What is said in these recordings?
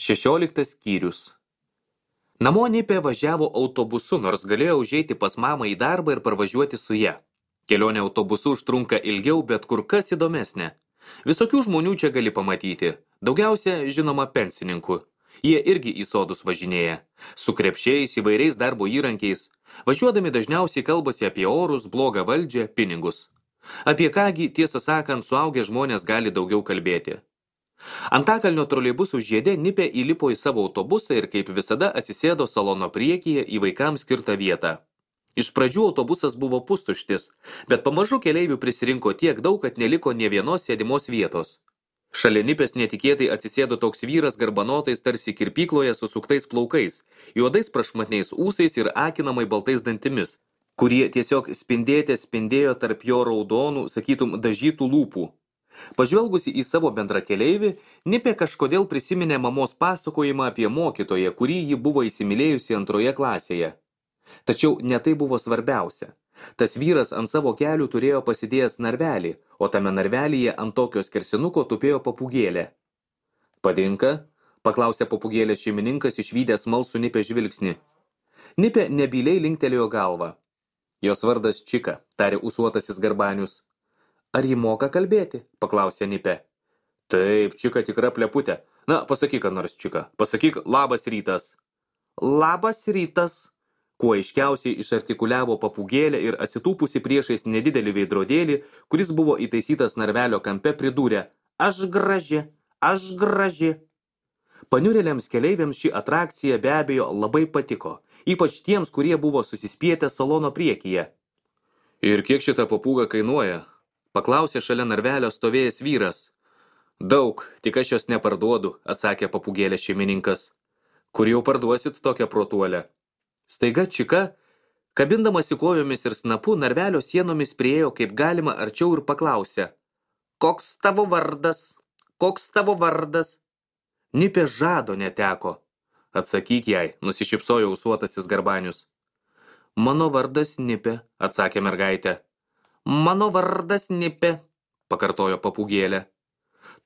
16 skyrius. Namo Nipė važiavo autobusu, nors galėjo užeiti pas mamą į darbą ir parvažiuoti su ja. Kelionė autobusu užtrunka ilgiau, bet kur kas įdomesnė. Visokių žmonių čia gali pamatyti. Daugiausia, žinoma, pensininkų. Jie irgi į sodus važinėja. Su krepšiais, įvairiais darbo įrankiais. Važiuodami dažniausiai kalbasi apie orus, blogą valdžią, pinigus. Apie kągi, tiesą sakant, suaugę žmonės gali daugiau kalbėti. Antakalnio troleibusų žiede Nipė įlipo į savo autobusą ir kaip visada atsisėdo salono priekyje į vaikams skirtą vietą. Iš pradžių autobusas buvo pustuštis, bet pamažu keleivių prisirinko tiek daug, kad neliko nė vienos sėdimos vietos. Šalia Nipės netikėtai atsisėdo toks vyras garbanotais tarsi kirpykloje susuktais plaukais, juodais prašmatniais ūsais ir akinamai baltais dantimis, kurie tiesiog spindėjo tarp jo raudonų, sakytum, dažytų lūpų. Pažvelgusi į savo bendrakeleivį, Nipė kažkodėl prisiminė mamos pasakojimą apie mokytoją, kurį ji buvo įsimylėjusi 2 klasėje. Tačiau ne tai buvo svarbiausia. Tas vyras ant savo kelių turėjo pasidėjęs narvelį, o tame narvelyje ant tokio skersinuko tupėjo papūgėlė. Padinka? Paklausė papūgėlės šeimininkas išvydęs smalsų Nipės žvilgsnį. Nipė nebyliai linktelėjo galvą. Jos vardas Čika, tarė ūsuotasis Garbanius. Ar ji moka kalbėti? Paklausė Nipė. Taip, Čika tikra pleputė. Na, pasakyk, ką nors, Čika. Pasakyk, labas rytas. Labas rytas. Kuo aiškiausiai išartikuliavo papūgėlė ir atsitūpusi priešais nedidelį veidrodėlį, kuris buvo įtaisytas narvelio kampe, pridūrė. Aš graži, aš graži. Paniurėliams keleiviams ši atrakcija be abejo labai patiko, ypač tiems, kurie buvo susispietę salono priekyje. Ir kiek šita papūga kainuoja? Paklausė šalia narvelio stovėjęs vyras. Daug, tik aš jos neparduodu, atsakė papūgėlės šeimininkas. Kur jau parduosit tokią protuolę? Staiga Čika, kabindamasi kojomis ir snapu, narvelio sienomis priėjo kaip galima arčiau ir paklausė. Koks tavo vardas? Koks tavo vardas? Nipė žado neteko. Atsakyk jai, nusišypsojo ūsuotasis Garbanius. Mano vardas Nipė, atsakė mergaitė. Mano vardas Nipė, pakartojo papūgėlė.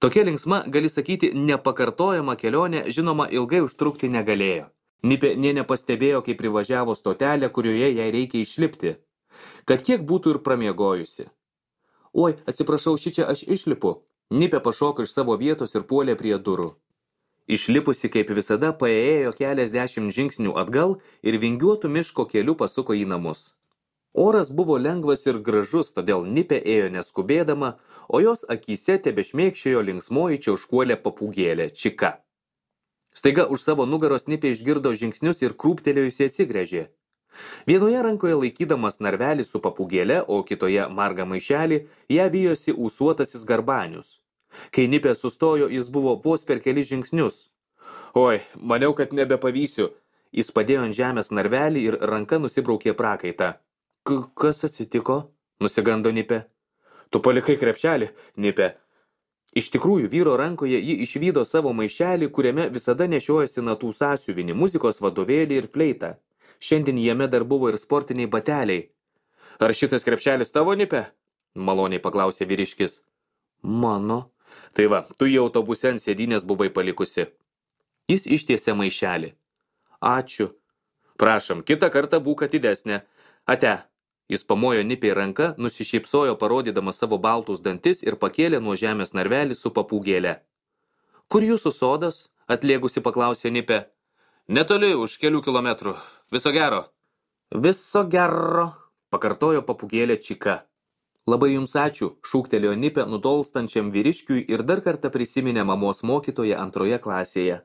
Tokia linksma, gali sakyti, nepakartojama kelionė, žinoma, ilgai užtrukti negalėjo. Nipė nė nepastebėjo, kai privažiavo stotelę, kurioje jai reikia išlipti. Kad kiek būtų ir pramiegojusi. Oi, atsiprašau, šičia aš išlipu. Nipė pašoko iš savo vietos ir puolė prie durų. Išlipusi, kaip visada, paėjo keliasdešimt žingsnių atgal ir vingiuotų miško keliu pasuko į namus. Oras buvo lengvas ir gražus, todėl Nipė ėjo neskubėdama, o jos akyse tebešmėkščiojo linksmoji čiauškuolė papūgėlė Čika. Staiga už savo nugaros Nipė išgirdo žingsnius ir krūptelėjusi atsigręžė. Vienoje rankoje laikydamas narvelį su papūgėle, o kitoje margą maišelį, ją vijosi ūsuotasis Garbanius. Kai Nipė sustojo, jis buvo vos per kelis žingsnius. Oi, maniau, kad nebepavysiu. Jis padėjo ant žemės narvelį ir ranka nusibraukė prakaitą. Kas atsitiko? Nusigando Nipė. Tu palikai krepšelį, Nipė. Iš tikrųjų, vyro rankoje ji išvydo savo maišelį, kuriame visada nešiojasi natų sąsiuvinį, muzikos vadovėlį ir fleitą. Šiandien jame dar buvo ir sportiniai bateliai. Ar šitas krepšelis tavo, Nipė? Maloniai paklausė vyriškis. Mano. Tai va, tu į autobuse ant sėdynės buvai palikusi. Jis ištiesė maišelį. Ačiū. Prašom, kitą kartą būk atidesnė. Ate. Jis pamojo Nipei ranka, nusišypsojo parodydamas savo baltus dantis ir pakėlė nuo žemės narvelį su papūgėle. Kur jūsų sodas? Atlėgusi paklausė Nipė. Netoli, už kelių kilometrų. Viso gero. Viso gero, pakartojo papūgėlė Čika. Labai jums ačiū, šūktelėjo Nipė nutolstančiam vyriškiui ir dar kartą prisiminė mamos mokytoją 2 klasėje.